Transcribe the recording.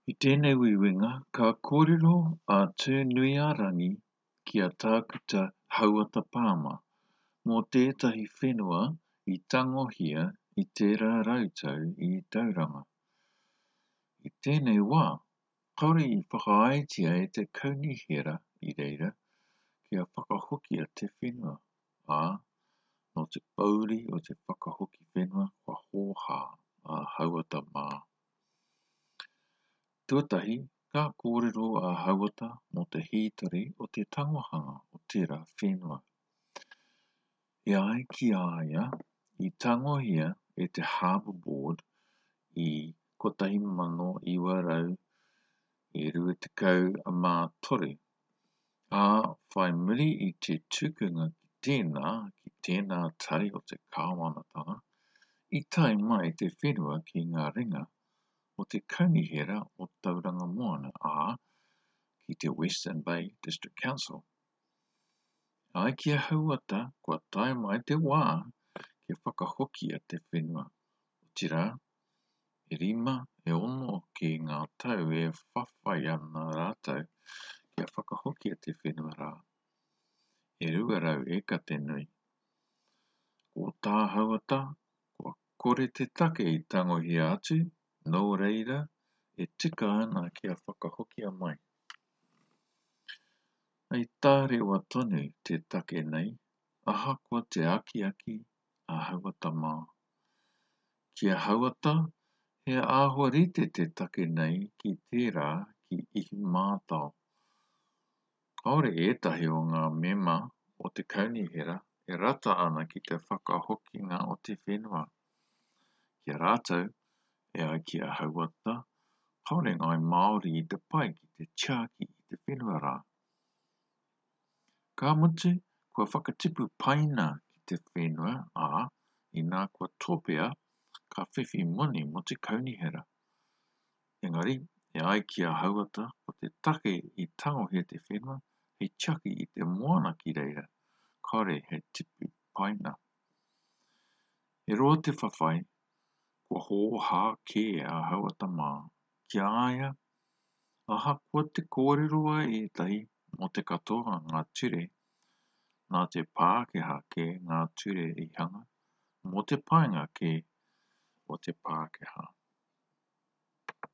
I tēnei uiuinga, ka kōrero a Tūnuiārangi ki a Tākuta Hauata Palmer mō tētahi whenua i tangohia i tērā rautau i Tauranga. I tēnei wā, kāore i whakaaetia e te kaunihera i reira kia whakahokia te whenua, ā, nō te pōuri o te whakahoki whenua kua hōhā a Hauata mā. Tuatahi, ka kōrero a Hauata mō te hītori o te tangohanga o tērā whenua. E ai ki a ia, i tangohia e te Harbour Board i 1923, ā, whai muri i te tukunga ki tēnā, ki tēnā tari o te kāwanatanga, i tae mai te whenua ki ngā ringa o te Kaunihera o Tauranga Moana, ā, ki te Western Bay District Council. E ai ki a Hauata, kua tae mai te wā kia whakahokia te whenua, otirā, e rima, e ono ki ngā tau e whawhai ana rātou kia whakahokia te whenua rā. E 200 eka te nui. Ko tā Hauata, kua kore te take i tangohia atu, nō reira, e tika ana kia whakahokia mai. I tārewa tonu te take nei, ahakoa te akiaki a Hauata mā. Ki a Hauata, he āhua rite te take nei ki tērā ki Ihumātao. Kāore ētahi o ngā mema o te kaunihera e rata ana ki te whakahokinga o te whenua. Ki a rātou, e ai ki a Hauata, kāore ngāi Māori i te pai ki te tiaki i te whenua rā. Ka mutu, kua whakatipu paina ki te whenua, ā, inā kua topea, ka whiwhi moni mō te kaunihera. Engari, e ai ki a Hauata, ko te take i tangohia te whenua, hei tiaki i te moana ki reira, kāore he tipu paina. He roa te whawhai, kua hōhā kē a Hauata mā, ki a ia, ahakoa te kōrero a ētahi mō te katoa ngā ture, nā te Pākehā kē ngā ture i hanga, mō te painga kē o te Pākehā.